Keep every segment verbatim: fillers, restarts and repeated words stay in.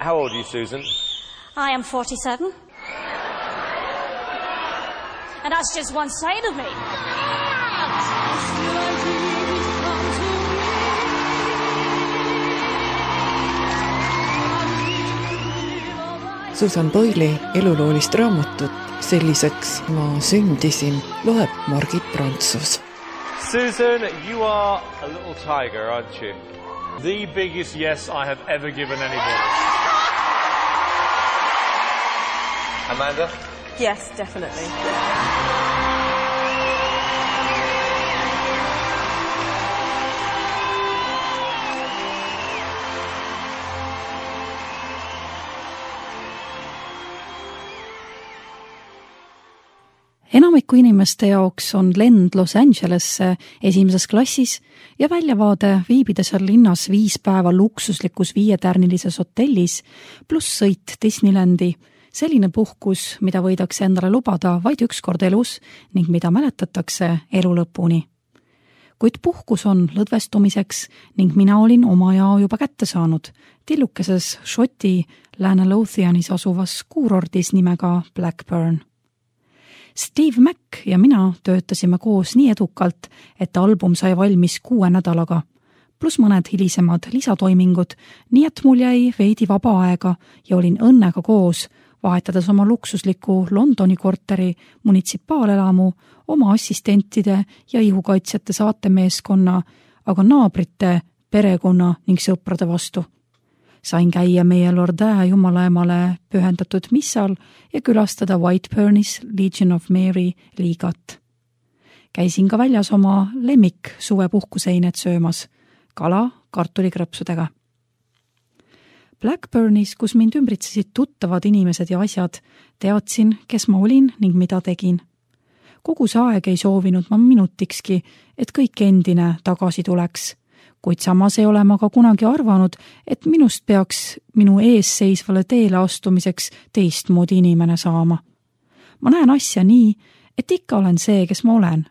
How old are you, Susan? I am forty-seven. And that's just one side of me. Susan Boyle'i eluloolist raamatut Selliseks ma sündisin loeb Margit Prantsus. Susan, you are a little tiger, aren't you? The biggest yes I have ever given anybody. Amanda? Yes, definitely. Enamiku inimeste jaoks on lend Los Angelesse esimeses klassis ja väljavaade viibida seal linnas viis päeva luksuslikus viietärnilises hotellis pluss sõit Disneylandi, selline puhkus, mida võidakse endale lubada vaid üks kord elus ning mida mäletatakse elu lõpuni. Kuid puhkus on lõdvestumiseks ning mina olin oma jao juba kätte saanud tillukeses Šoti Lääne Lothianis asuvas kuurordis nimega Blackburn. Steve Mac ja mina töötasime koos nii edukalt, et album sai valmis kuue nädalaga, pluss mõned hilisemad lisatoimingud, nii et mul jäi veidi vaba aega ja olin õnnega koos, vahetades oma luksusliku Londoni korteri munitsipaalelamu oma assistentide ja ihukaitsjate saatemeeskonna, aga naabrite, perekonna ning sõprade vastu. Sain käia meie Lordää jumalaemale pühendatud missal ja külastada Whiteburnis Legion of Mary liigat. Käisin ka väljas oma lemmik suvepuhkuseinet söömas, kala kartulikrõpsudega. Blackburnis, kus mind ümbritsesid tuttavad inimesed ja asjad, teadsin, kes ma olin ning mida tegin. Kogu see aeg ei soovinud ma minutikski, et kõik endine tagasi tuleks, kuid samas ei ole ma ka kunagi arvanud, et minust peaks minu ees seisvale teele astumiseks teistmoodi inimene saama. Ma näen asja nii, et ikka olen see, kes ma olen,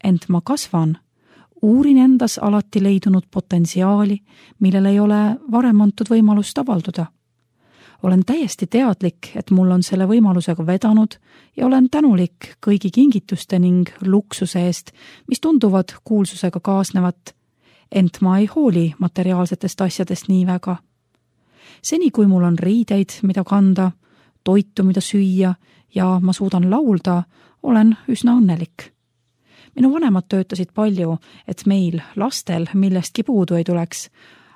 ent ma kasvan. Uurin endas alati leidunud potentsiaali, millel ei ole varem antud võimalust avalduda. Olen täiesti teadlik, et mul on selle võimalusega vedanud ja olen tänulik kõigi kingituste ning luksuse eest, mis tunduvad kuulsusega kaasnevat, ent ma ei hooli materiaalsetest asjadest nii väga. Seni, kui mul on riideid, mida kanda, toitu, mida süüa ja ma suudan laulda, olen üsna õnnelik. Minu vanemad töötasid palju, et meil, lastel, millestki puudu ei tuleks,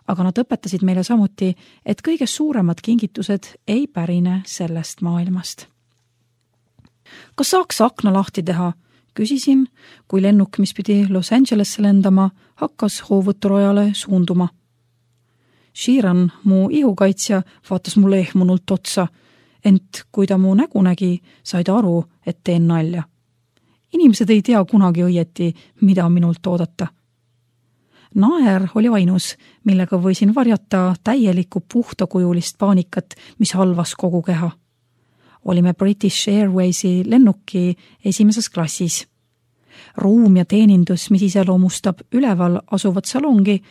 aga nad õpetasid meile samuti, et kõige suuremad kingitused ei pärine sellest maailmast. Kas saaks akna lahti teha? Küsisin, kui lennuk, mis pidi Los Angelesse lendama, hakkas hoovõturojale suunduma. Sheeran, mu ihukaitsja, vaatas mulle ehmunult otsa, ent kui ta mu nägu nägi, sai ta aru, et teen nalja. Inimesed ei tea kunagi õieti, mida minult oodata. Naer oli ainus, millega võisin varjata täielikku puhtakujulist paanikat, mis halvas kogu keha. Olime British Airwaysi lennuki esimeses klassis. Ruum ja teenindus, mis iseloomustab üleval asuvat salongi,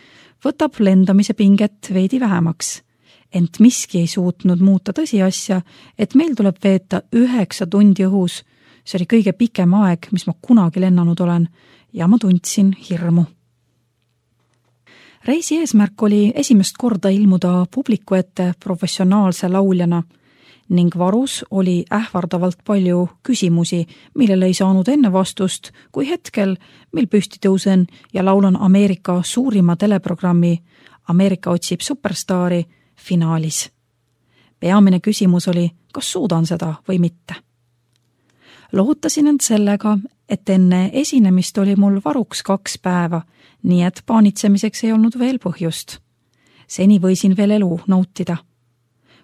võtab lendamise pinget veidi vähemaks. Ent miski ei suutnud muuta tõsiasja, et meil tuleb veeta üheksa tundi õhus. See oli kõige pikem aeg, mis ma kunagi lennanud olen, ja ma tundsin hirmu. Reisi eesmärk oli esimest korda ilmuda publiku ette professionaalse lauljana ning varus oli ähvardavalt palju küsimusi, millele ei saanud enne vastust, kui hetkel, mil püsti tõusen ja laulan Ameerika suurima teleprogrammi Ameerika otsib superstaari finaalis. Peamine küsimus oli, kas suudan seda või mitte. Lohutasin end sellega, et enne esinemist oli mul varuks kaks päeva, nii et paanitsemiseks ei olnud veel põhjust. Seni võisin veel elu nautida.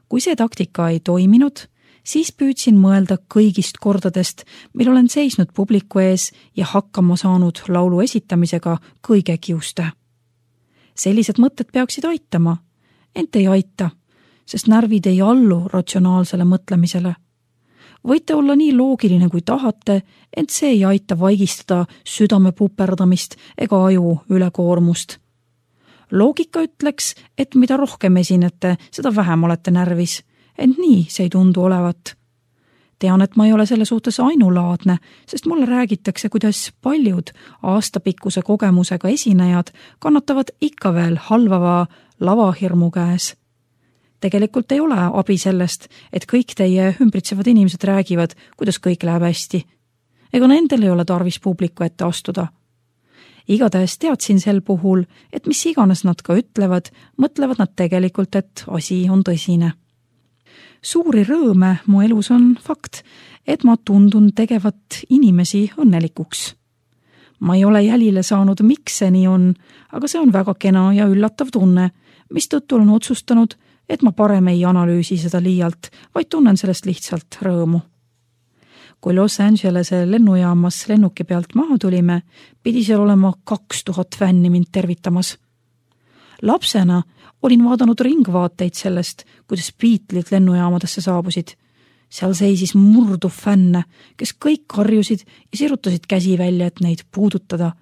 Kui see taktika ei toiminud, siis püüdsin mõelda kõigist kordadest, mil olen seisnud publiku ees ja hakkama saanud laulu esitamisega kõige kiuste. Sellised mõtted peaksid aitama, ent ei aita, sest närvid ei allu ratsionaalsele mõtlemisele. Võite olla nii loogiline kui tahate, ent see ei aita vaigistada südame puperdamist ega aju ülekoormust. Loogika ütleks, et mida rohkem esinete, seda vähem olete närvis, ent nii see ei tundu olevat. Tean, et ma ei ole selle suhtes ainulaadne, sest mulle räägitakse, kuidas paljud aastapikkuse kogemusega esinejad kannatavad ikka veel halvava lavahirmu käes. Tegelikult ei ole abi sellest, et kõik teie ümbritsevad inimesed räägivad, kuidas kõik läheb hästi. Ega nendel ei ole tarvis publiku ette astuda. Igatahes teadsin sel puhul, et mis iganes nad ka ütlevad, mõtlevad nad tegelikult, et asi on tõsine. Suuri rõõme mu elus on fakt, et ma tundun tegevat inimesi õnnelikuks. Ma ei ole jälile saanud, miks see nii on, aga see on väga kena ja üllatav tunne, mis tõttu olen otsustanud, et ma parem ei analüüsi seda liialt, vaid tunnen sellest lihtsalt rõõmu. Kui Los Angelese lennujaamas lennuki pealt maha tulime, pidi seal olema kaks tuhat fänni mind tervitamas. Lapsena olin vaadanud ringvaateid sellest, kuidas Beatlesid lennujaamadesse saabusid. Seal seisis murduv fänne, kes kõik karjusid ja sirutasid käsi välja, et neid puudutada.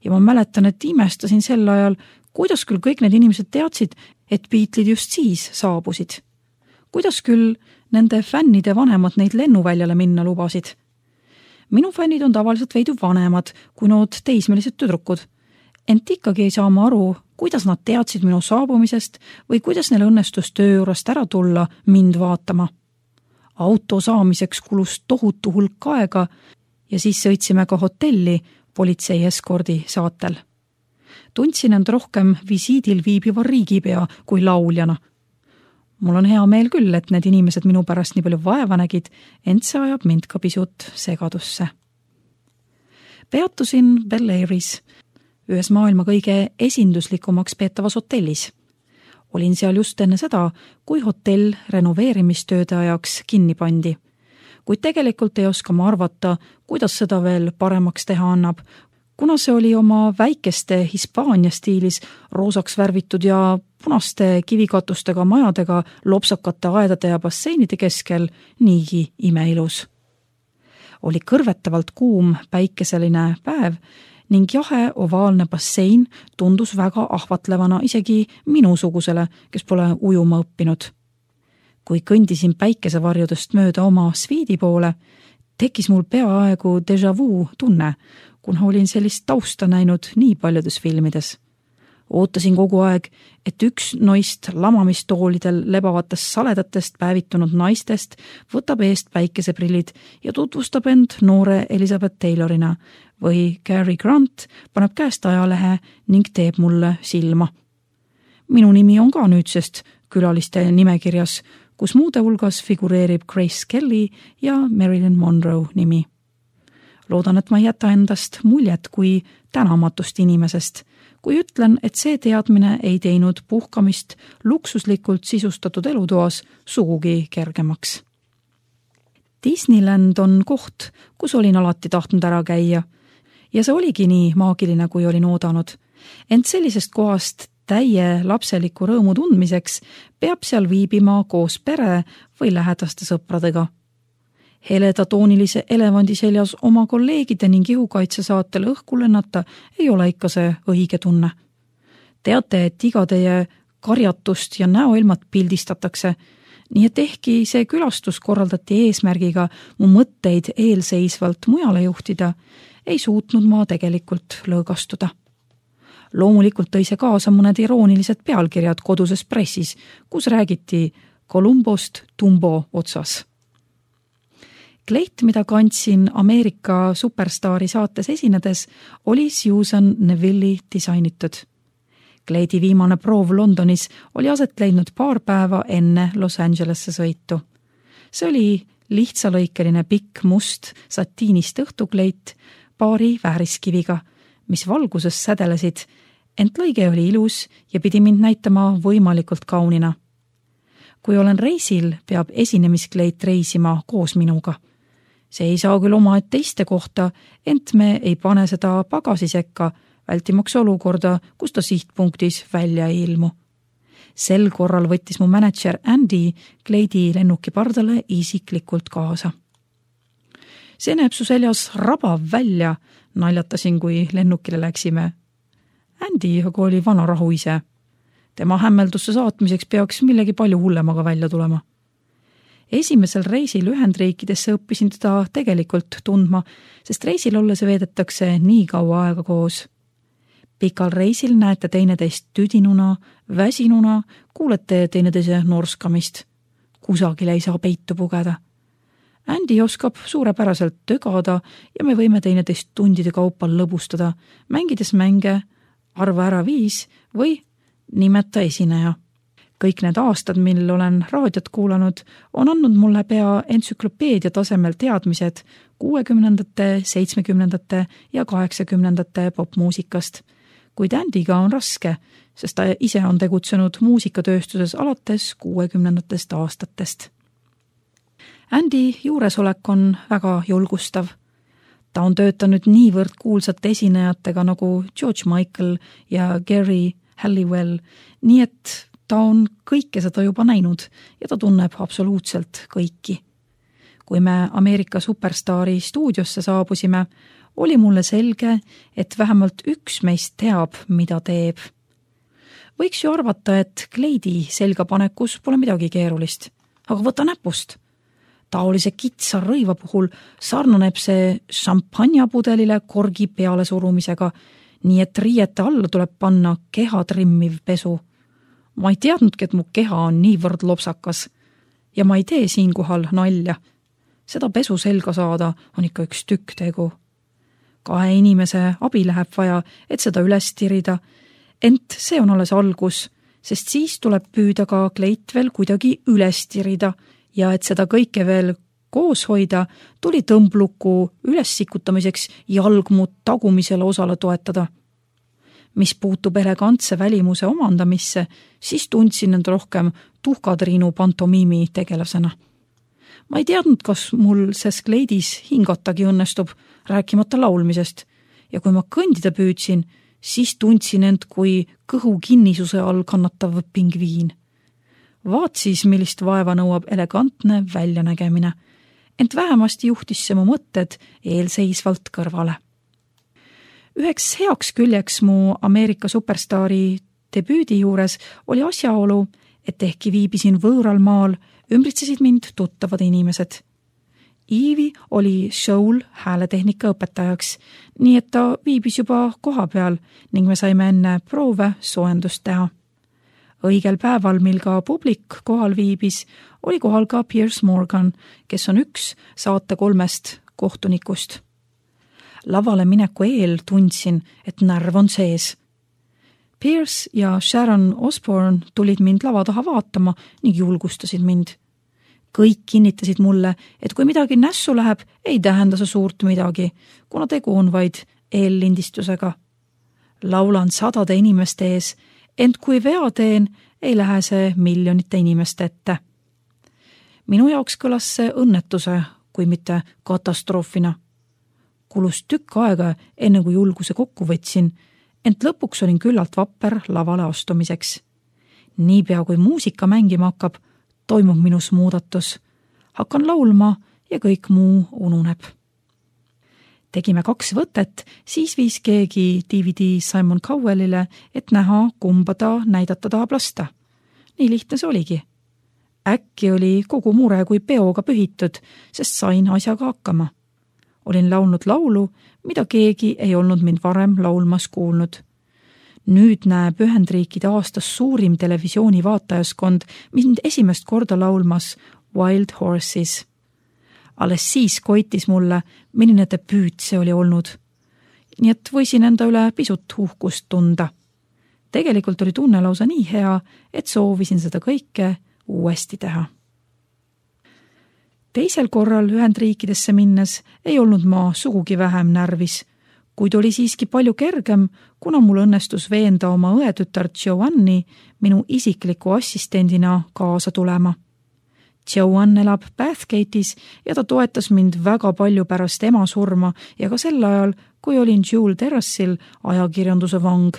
Ja ma mäletan, et imestasin sel ajal, kuidas küll kõik need inimesed teadsid, et Beatlesid just siis saabusid. Kuidas küll nende fännide vanemad neid lennuväljale minna lubasid. Minu fännid on tavaliselt veidi vanemad kui nood teismelised tüdrukud, ent ikkagi ei saa ma aru, kuidas nad teadsid minu saabumisest või kuidas neil õnnestus töö juurest ära tulla mind vaatama. Auto saamiseks kulus tohutu hulk aega ja siis sõitsime ka hotelli politsei eskordi saatel. Tundsin end rohkem visiidil viibiva riigipea kui lauljana. Mul on hea meel küll, et need inimesed minu pärast nii palju vaeva nägid, ent see ajab mind ka pisut segadusse. Peatusin Bel Airis, ühes maailma kõige esinduslikumaks peetavas hotellis. Olin seal just enne seda, kui hotell renoveerimistööde ajaks kinni pandi. Kuid tegelikult ei oska ma arvata, kuidas seda veel paremaks teha annab, kuna see oli oma väikeste Hispaania stiilis roosaks värvitud ja punaste kivikatustega majadega lopsakate aedade ja basseinide keskel niigi imeilus. Oli kõrvetavalt kuum päikeseline päev ning jahe ovaalne bassein tundus väga ahvatlevana isegi minusugusele, kes pole ujuma õppinud. Kui kõndisin päikesevarjudest mööda oma sviidi poole, tekkis mul peaaegu déjà vu tunne, kuna olin sellist tausta näinud nii paljudes filmides. Ootasin kogu aeg, et üks noist lamamistoolidel lebavatest saledatest päevitunud naistest võtab eest päikeseprillid ja tutvustab end noore Elizabeth Taylorina või Cary Grant paneb käest ajalehe ning teeb mulle silma. Minu nimi on ka nüüdsest külaliste nimekirjas, kus muude hulgas figureerib Grace Kelly ja Marilyn Monroe nimi. Loodan, et ma ei jäta endast muljet kui tänamatust inimesest, kui ütlen, et see teadmine ei teinud puhkamist luksuslikult sisustatud elutoas sugugi kergemaks. Disneyland on koht, kus olin alati tahtnud ära käia ja see oligi nii maagiline, kui olin oodanud. Ent sellisest kohast täie lapseliku rõõmu tundmiseks peab seal viibima koos pere või lähedaste sõpradega. Heleda toonilise elevandi seljas oma kolleegide ning ihukaitse saatel õhku lennata ei ole ikka see õige tunne. Teate, et iga teie karjatust ja näoilmat pildistatakse, nii et ehkki see külastus korraldati eesmärgiga mu mõtteid eelseisvalt mujale juhtida, ei suutnud ma tegelikult lõõgastuda. Loomulikult tõi see kaasa mõned iroonilised pealkirjad koduses pressis, kus räägiti Columbost Tumbo otsas. Kleit, mida kandsin Ameerika superstaari saates esinedes, oli Susan Neville'i disainitud. Kleidi viimane proov Londonis oli aset leidnud paar päeva enne Los Angelesse sõitu. See oli lihtsalõikeline pikk must satiinist õhtukleit paari vääriskiviga, mis valguses sädelesid, ent lõige oli ilus ja pidi mind näitama võimalikult kaunina. Kui olen reisil, peab esinemiskleit reisima koos minuga. See ei saa küll oma et teiste kohta, ent me ei pane seda pagasi sekka, vältimaks olukorda, kus ta sihtpunktis välja ei ilmu. Sel korral võttis mu manager Andy kleidi lennuki pardale isiklikult kaasa. See näeb su seljas rabav välja, naljatasin, kui lennukile läksime. Andy aga oli vana rahu ise. Tema hämmeldusse saatmiseks peaks millegi palju hullemaga välja tulema. Esimesel reisil Ühendriikidesse õppisin teda tegelikult tundma, sest reisil olles veedetakse nii kaua aega koos. Pikal reisil näete teineteist tüdinuna, väsinuna, kuulete teineteise norskamist. Kusagil ei saa peitu pugeda. Andy oskab suurepäraselt tögada ja me võime teineteist tundide kaupa lõbustada, mängides mänge, arva ära viis või nimeta esineja. Kõik need aastad, mil olen raadiot kuulanud, on andnud mulle pea entsüklopeedia tasemel teadmised kuuekümnendate, seitsmekümnendate ja kaheksakümnendate popmuusikast. Kuid Andyga on raske, sest ta ise on tegutsenud muusikatööstuses alates kuuekümnendatest aastatest. Andy juuresolek on väga julgustav. Ta on töötanud niivõrd kuulsate esinejatega nagu George Michael ja Gary Halliwell, nii et ta on kõike seda juba näinud ja ta tunneb absoluutselt kõiki. Kui me Ameerika superstaari stuudiosse saabusime, oli mulle selge, et vähemalt üks meist teab, mida teeb. Võiks ju arvata, et kleidi selgapanekus pole midagi keerulist, aga võta näpust. Taolise kitsa rõiva puhul sarnaneb see šampanjapudelile korgi peale surumisega, nii et riiete alla tuleb panna keha trimmiv pesu. Ma ei teadnudki, et mu keha on niivõrd lopsakas ja ma ei tee siinkohal nalja. Seda pesu selga saada on ikka üks tükk tegu. Kahe inimese abi läheb vaja, et seda üles tirida, ent see on alles algus, sest siis tuleb püüda ka kleit veel kuidagi üles tirida ja et seda kõike veel koos hoida, tuli tõmbluku üles sikutamiseks jalgmu tagumisele osale toetada. Mis puutub elegantse välimuse omandamisse, siis tundsin end rohkem tuhkatriinu pantomiimi tegelasena. Ma ei teadnud, kas mul ses kleidis hingatagi õnnestub, rääkimata laulmisest, ja kui ma kõndida püüdsin, siis tundsin end kui kõhu kinnisuse all kannatav pingviin. Vaat siis, millist vaeva nõuab elegantne väljanägemine, ent vähemasti juhtis see mu mõtted eelseisvalt kõrvale. Üheks heaks küljeks mu Ameerika superstaari debüüdi juures oli asjaolu, et ehkki viibisin võõral maal, ümbritsesid mind tuttavad inimesed. Iivi oli show'l hääletehnika õpetajaks, nii et ta viibis juba koha peal ning me saime enne proove soojendust teha. Õigel päeval, mil ka publik kohal viibis, oli kohal ka Piers Morgan, kes on üks saate kolmest kohtunikust. Lavale mineku eel tundsin, et närv on sees. Piers ja Sharon Osbourne tulid mind lava taha vaatama ning julgustasid mind. Kõik kinnitasid mulle, et kui midagi nässu läheb, ei tähenda see suurt midagi, kuna tegu on vaid eellindistusega. Laulan sadade inimeste ees, ent kui vea teen, ei lähe see miljonite inimeste ette. Minu jaoks kõlas see õnnetuse, kui mitte katastroofina. Kulus tükk aega, enne kui julguse kokku võtsin, ent lõpuks olin küllalt vapper lavale astumiseks. Niipea kui muusika mängima hakkab, toimub minus muudatus. Hakkan laulma ja kõik muu ununeb. Tegime kaks võtet, siis viis keegi D V D Simon Cowellile, et näha, kumba ta näidata tahab lasta. Nii lihtne see oligi. Äkki oli kogu mure kui peoga pühitud, sest sain asjaga hakkama. Olin laulnud laulu, mida keegi ei olnud mind varem laulmas kuulnud. Nüüd näeb Ühendriikide aastas suurim televisiooni vaatajaskond mind esimest korda laulmas Wild Horses. Alles siis koitis mulle, milline debüüt see oli olnud. Nii et võisin enda üle pisut uhkust tunda. Tegelikult oli tunne lausa nii hea, et soovisin seda kõike uuesti teha. Teisel korral Ühendriikidesse minnes ei olnud ma sugugi vähem närvis, kuid oli siiski palju kergem, kuna mul õnnestus veenda oma õetütar Joanni minu isikliku assistendina kaasa tulema. Joanne elab Bathgate'is ja ta toetas mind väga palju pärast ema surma ja ka sel ajal, kui olin Jewel Terrassil ajakirjanduse vang.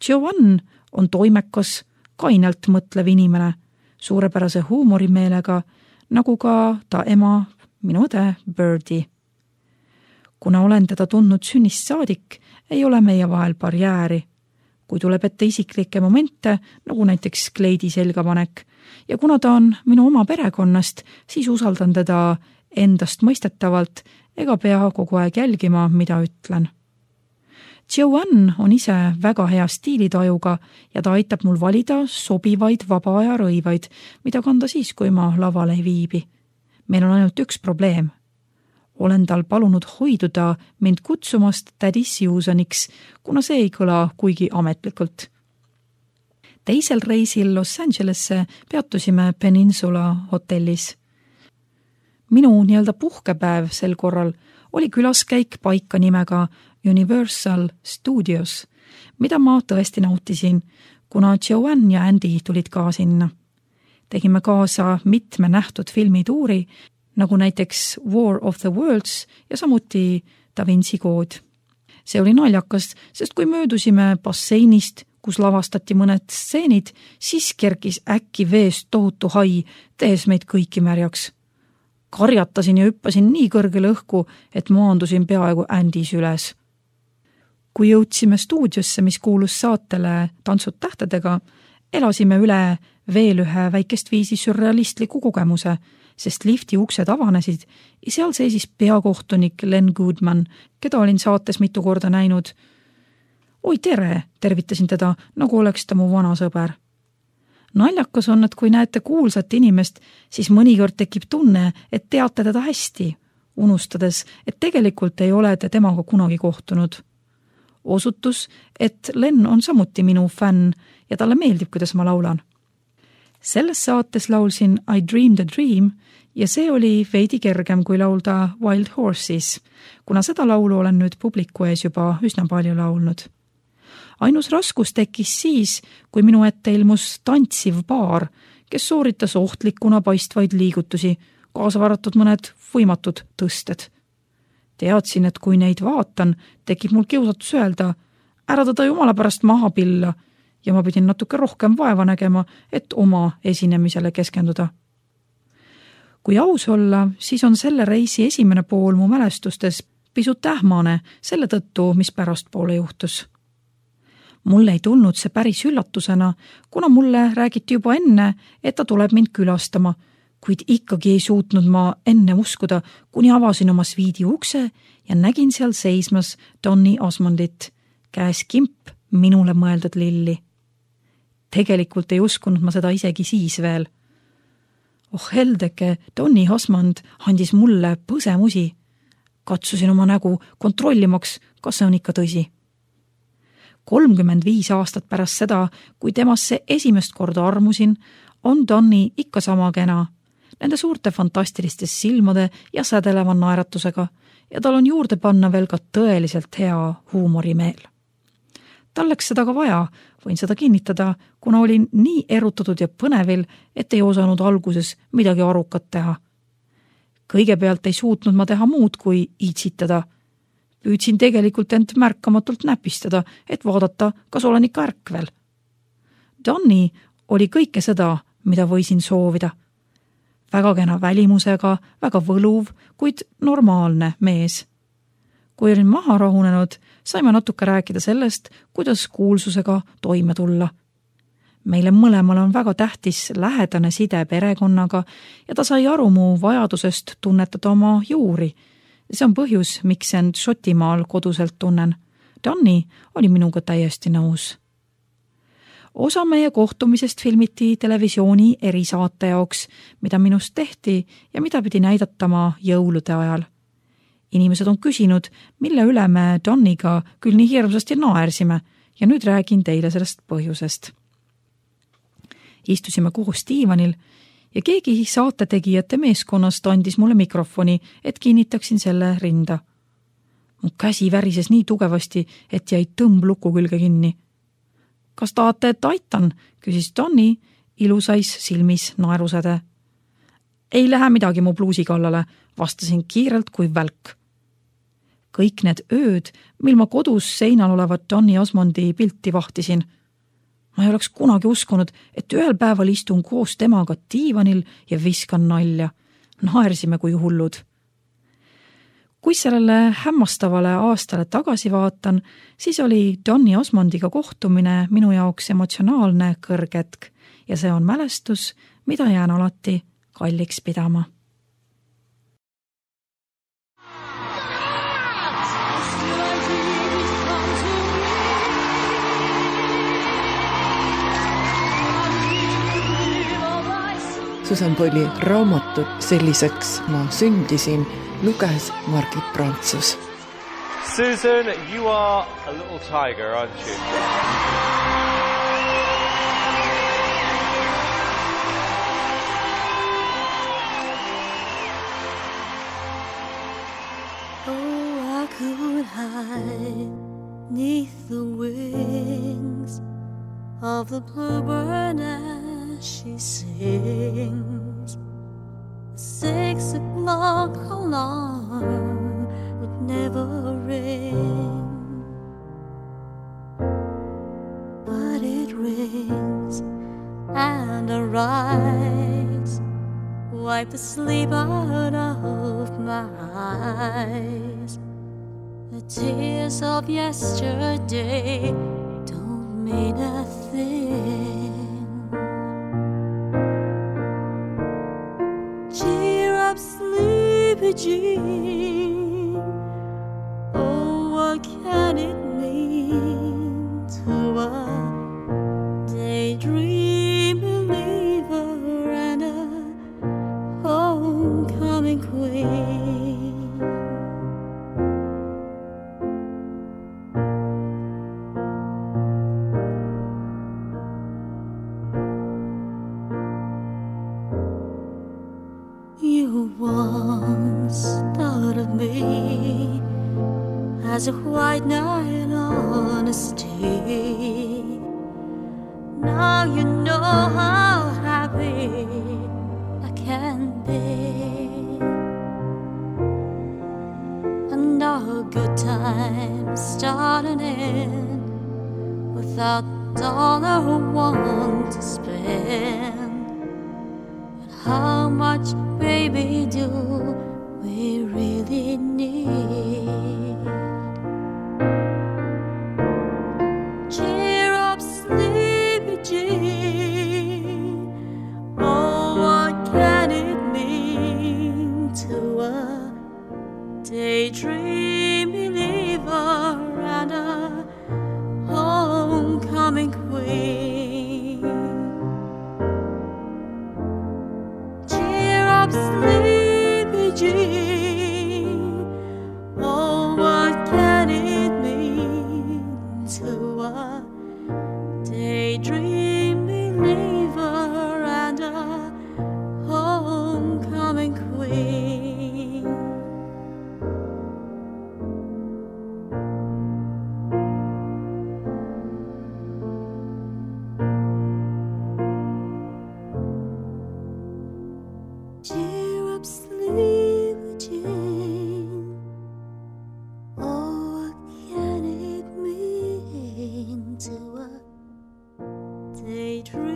Joanne on toimekas, kainelt mõtlev inimene, suurepärase huumorimeelega, nagu ka ta ema, minu õde Birdie. Kuna olen teda tundnud sünnist saadik, ei ole meie vahel barjääri. kui tuleb ette isiklikke momente, nagu näiteks kleidi selgapanek, ja kuna ta on minu oma perekonnast, siis usaldan teda endast mõistetavalt ega pea kogu aeg jälgima, mida ütlen. Joanne on ise väga hea stiilitajuga ja ta aitab mul valida sobivaid vaba aja rõivaid, mida kanda siis, kui ma laval ei viibi. Meil on ainult üks probleem. Olen tal palunud hoiduda mind kutsumast tädi Susaniks, kuna see ei kõla kuigi ametlikult. Teisel reisil Los Angelesse peatusime Peninsula hotellis. Minu nii-öelda puhkepäev sel korral oli külaskäik paika nimega Universal Studios, mida ma tõesti nautisin, kuna Joanne ja Andy tulid ka sinna. Tegime kaasa mitme nähtud filmituuri, nagu näiteks War of the Worlds ja samuti Da Vinci kood. See oli naljakas, sest kui möödusime basseinist, kus lavastati mõned stseenid, siis kerkis äkki veest tohutu hai, tehes meid kõiki märjaks. Karjatasin ja hüppasin nii kõrgele õhku, et maandusin peaaegu Andys üles. Kui jõudsime stuudiosse, mis kuulus saatele Tantsud tähtedega, elasime üle veel ühe väikest viisi sürrealistliku kogemuse, sest lifti uksed avanesid ja seal seisis peakohtunik Len Goodman, keda olin saates mitu korda näinud. Oi tere, tervitasin teda, nagu oleks ta mu vana sõber. Naljakas on, et kui näete kuulsat inimest, siis mõnikord tekib tunne, et teate teda hästi, unustades, et tegelikult ei ole te temaga kunagi kohtunud. Osutus, et Len on samuti minu fänn ja talle meeldib, kuidas ma laulan. Selles saates laulsin I Dreamed a Dream ja see oli veidi kergem kui laulda Wild Horses, kuna seda laulu olen nüüd publiku ees juba üsna palju laulnud. Ainus raskus tekkis siis, kui minu ette ilmus tantsiv paar, kes sooritas ohtlikuna paistvaid liigutusi, kaasa varatud mõned võimatud tõsted. Teadsin, et kui neid vaatan, tekib mul kiusatus öelda, ära teda jumala pärast maha pilla ja ma pidin natuke rohkem vaeva nägema, et oma esinemisele keskenduda. Kui aus olla, siis on selle reisi esimene pool mu mälestustes pisut ähmane selle tõttu, mis pärast poole juhtus. Mulle ei tulnud see päris üllatusena, kuna mulle räägiti juba enne, et ta tuleb mind külastama, kuid ikkagi ei suutnud ma enne uskuda, kuni avasin oma sviidi ukse ja nägin seal seismas Donny Osmondit, käes kimp minule mõeldud lilli. Tegelikult ei uskunud ma seda isegi siis veel. Oh heldeke, Donny Osmond andis mulle põsemusi. Katsusin oma nägu kontrollimaks, kas see on ikka tõsi. kolmkümmend viis aastat pärast seda, kui temasse esimest korda armusin, on Donny ikka sama kena, nende suurte fantastiliste silmade ja sädeleva naeratusega ja tal on juurde panna veel ka tõeliselt hea huumorimeel. Tal läks seda ka vaja, võin seda kinnitada, kuna olin nii erutatud ja põnevil, et ei osanud alguses midagi arukat teha. Kõigepealt ei suutnud ma teha muud kui iitsitada. Püüdsin tegelikult end märkamatult näpistada, et vaadata, kas olen ikka ärkvel. Donny oli kõike seda, mida võisin soovida. Väga kena välimusega, väga võluv, kuid normaalne mees. Kui olin maha rahunenud, saime natuke rääkida sellest, kuidas kuulsusega toime tulla. Meile mõlemal on väga tähtis lähedane side perekonnaga ja ta sai aru mu vajadusest tunnetada oma juuri. See on põhjus, miks end Šotimaal koduselt tunnen. Donny oli minuga täiesti nõus. Osa meie kohtumisest filmiti televisiooni erisaate jaoks, mida minust tehti ja mida pidi näidatama jõulude ajal. Inimesed on küsinud, mille üle me Donniga küll nii hirmsasti naersime ja nüüd räägin teile sellest põhjusest. Istusime koos diivanil ja keegi saatetegijate meeskonnast andis mulle mikrofoni, et kinnitaksin selle rinda. Mu käsi värises nii tugevasti, et jäi tõmbluku külge kinni. Kas tahate, et aitan, küsis Donny, ilusais silmis naerusäde. Ei lähe midagi mu pluusi kallale, vastasin kiirelt kui välk. Kõik need ööd, mil ma kodus seinal olevat Donny Osmondi pilti vahtisin. Ma ei oleks kunagi uskunud, et ühel päeval istun koos temaga diivanil ja viskan nalja. Naersime kui hullud. kui sellele hämmastavale aastale tagasi vaatan, siis oli Donny Osmondiga kohtumine minu jaoks emotsionaalne kõrgetk ja see on mälestus, mida jään alati kalliks pidama. Susan Boyle'i raamatut Selliseks ma sündisin luges Margit Prantsus. Susan, you are a little tiger, aren't you? Oh, I could hide neath the wings of the bluebird as she sings. The six o'clock alarm would never ring, but it rings and I rise, wipe the sleep out of my eyes. The tears of yesterday don't mean a thing. Cheer up, sleepy Jean. Oh, what can it mean to a daydream believer and a homecoming queen? You once thought of me as a white knight on a steed. Now you know how happy I can be, and our good times start and end without a dollar or one to spend. How much, baby, do we really need? Cheer up, sleepy Jean. Oh, what can it mean to a daydream believer and a homecoming queen? Sleepy Jean, oh, what can it mean to a daydream believer and a homecoming queen? Cheer up, sleepy Jean. Oh, what can it mean to a daydream?